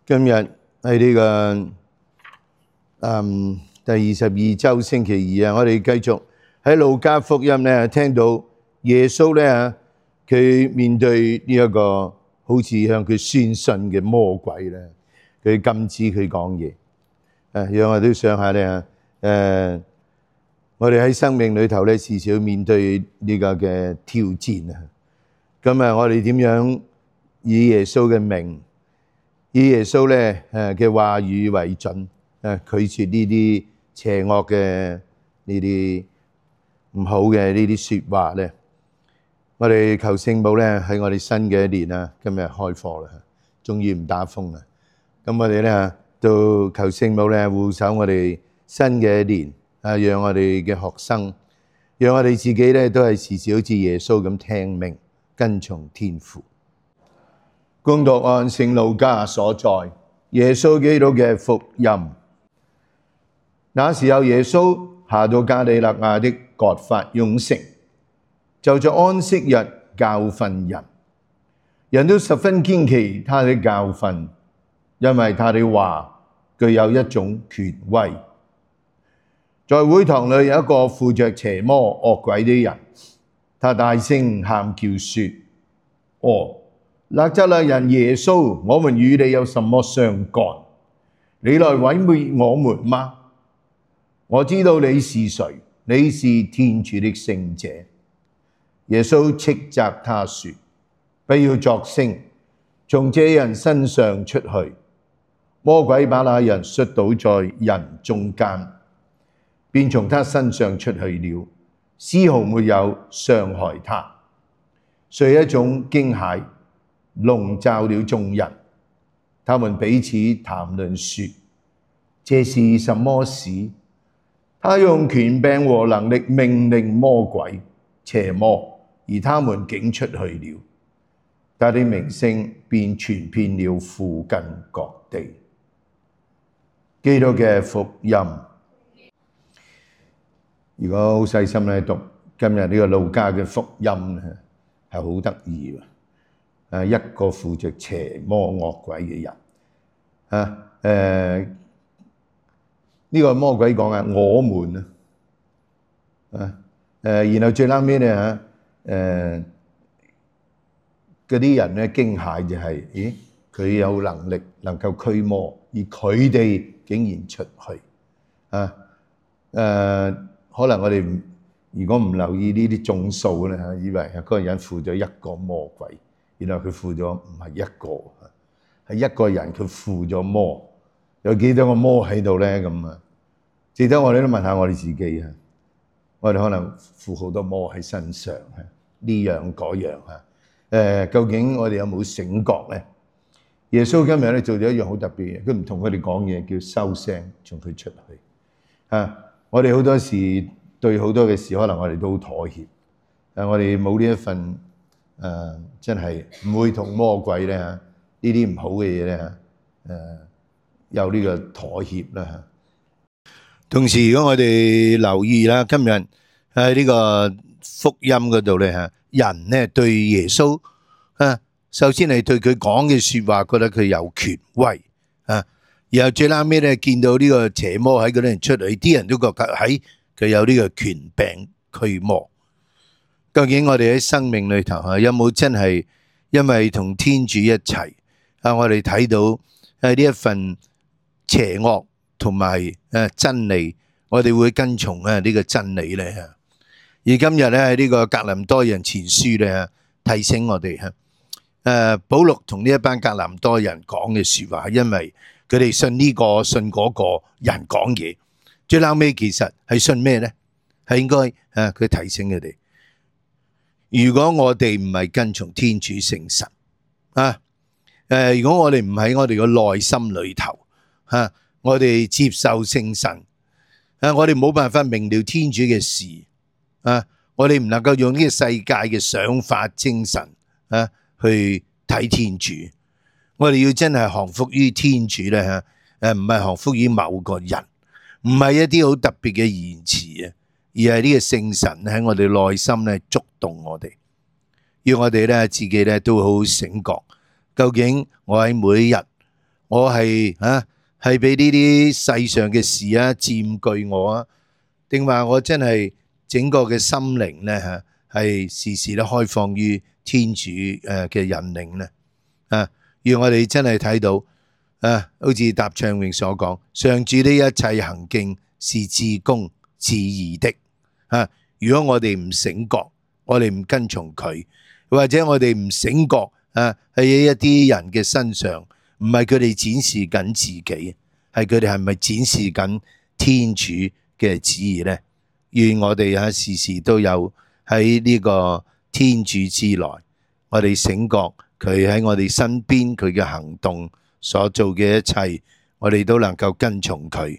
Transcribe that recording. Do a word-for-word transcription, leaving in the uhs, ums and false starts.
今日喺呢個嗯第二十二周星期二啊，我哋繼續喺路加福音咧聽到耶穌咧佢面對呢一個好似向佢宣信嘅魔鬼咧，佢禁止佢講嘢。誒，讓我都想下咧誒，我哋喺生命裏頭咧時少面對呢個嘅挑戰啊。咁啊，我哋點樣以耶穌嘅名？以耶穌咧誒嘅話語為準，誒拒絕呢啲邪惡嘅呢啲唔好嘅呢啲説話咧。我哋求聖母咧喺我哋新嘅一年啊，今日開課啦，終於唔打風啦。咁我哋咧都求聖母咧護守我哋新嘅一年啊，讓我哋嘅學生，讓我哋自己咧都係時時好似耶穌咁聽命跟從天父。恭讀按聖路加所載耶穌基督嘅福音。那時候耶穌下到加里肋亞的葛法翁城，就在安息日教訓人。人都十分堅奇他的教訓，因為他的話具有一種權威。在會堂裏有一個附着邪魔惡鬼的人，他大聲喊叫說：哦，納匝肋人耶穌，我們與你有什麼相干？你來毀滅我們嗎？我知道你是誰，你是天主的聖者。耶穌斥責他說：不要作聲，從這人身上出去。魔鬼把那人摔倒在人中間，便從他身上出去了，絲毫沒有傷害他。遂一種驚駭籠罩了眾人，他們彼此談論說：這是什麼事？他用權柄和能力命令魔鬼邪魔，而他們竟出去了。他的名聲便傳遍了附近各地。基督嘅福音。如果好細心咧讀今日呢個路加嘅福音咧，係好得意喎！誒，一個附着邪魔惡鬼嘅人啊，誒呢個魔鬼講啊，我們啊，啊誒，然後最後尾咧嚇誒嗰啲人咧驚駭就係，咦，佢有能力能夠驅魔，而佢哋竟然出去啊誒。可能我哋如果唔留意呢啲眾數咧嚇，以為嗰個人附咗一個魔鬼，原來佢附咗唔係一個，係一個人佢附咗魔。有幾多個魔喺度咧？咁啊，值得我哋都問下我哋自己啊。我哋可能附好多魔喺身上啊，呢樣嗰樣啊。誒，究竟我哋有冇醒覺咧？耶穌今日咧做咗一樣好特別嘅，佢唔同佢哋講嘢，叫收聲，從佢出去啊。我哋好多時對好多嘅事，可能我哋都好妥協。誒，我哋冇呢一份誒、呃，真係唔會同魔鬼咧呢啲唔好嘅嘢咧誒，有呢個妥協啦。同時，如果我哋留意啦，今日喺呢個福音嗰度咧嚇，人咧對耶穌啊，首先係對佢講嘅説話覺得佢有權威啊。然後最後尾咧，見到呢個邪魔喺嗰啲人出嚟，啲人都覺得喺佢有呢個權柄驅魔。究竟我哋喺生命裏頭啊，有冇真係因為同天主一齊啊？我哋睇到喺呢一份邪惡同埋誒真理，我哋會跟從啊呢個真理咧。而今日咧喺呢個格林多人前書咧，提醒我哋嚇誒，保祿同呢一班格林多人講嘅説話，因為佢哋信呢個信嗰個人講嘢，最後尾其實係信咩咧？係應該啊，佢提醒佢哋，如果我哋唔係跟從天主聖神啊，誒，如果我哋唔喺我哋個內心裏頭啊，我哋接受聖神啊，我哋冇辦法明了天主嘅事啊，我哋唔能夠用呢個世界嘅想法精神啊去睇天主。我哋要真係降服於天主咧嚇，誒唔係降服於某個人，唔係一啲好特別嘅言辭啊，而係呢個聖神喺我哋內心咧觸動我哋，要我哋咧自己咧都好醒覺，究竟我喺每一日我係啊係俾呢啲世上嘅事啊佔據我啊，定話我真係整個嘅心靈咧嚇係時時都開放於天主誒嘅引領咧啊！讓我哋真係睇到啊，好似答唱詠所講，上主的一切行徑是至公至義的啊！如果我哋唔醒覺，我哋唔跟從佢，或者我哋唔醒覺啊，喺一啲人嘅身上，唔係佢哋展示緊自己，係佢哋係咪展示緊天主嘅旨意呢？願我哋啊時時都有喺呢個天主之內，我哋醒覺佢喺我哋身邊，佢嘅行動所做嘅一切，我哋都能夠跟從佢。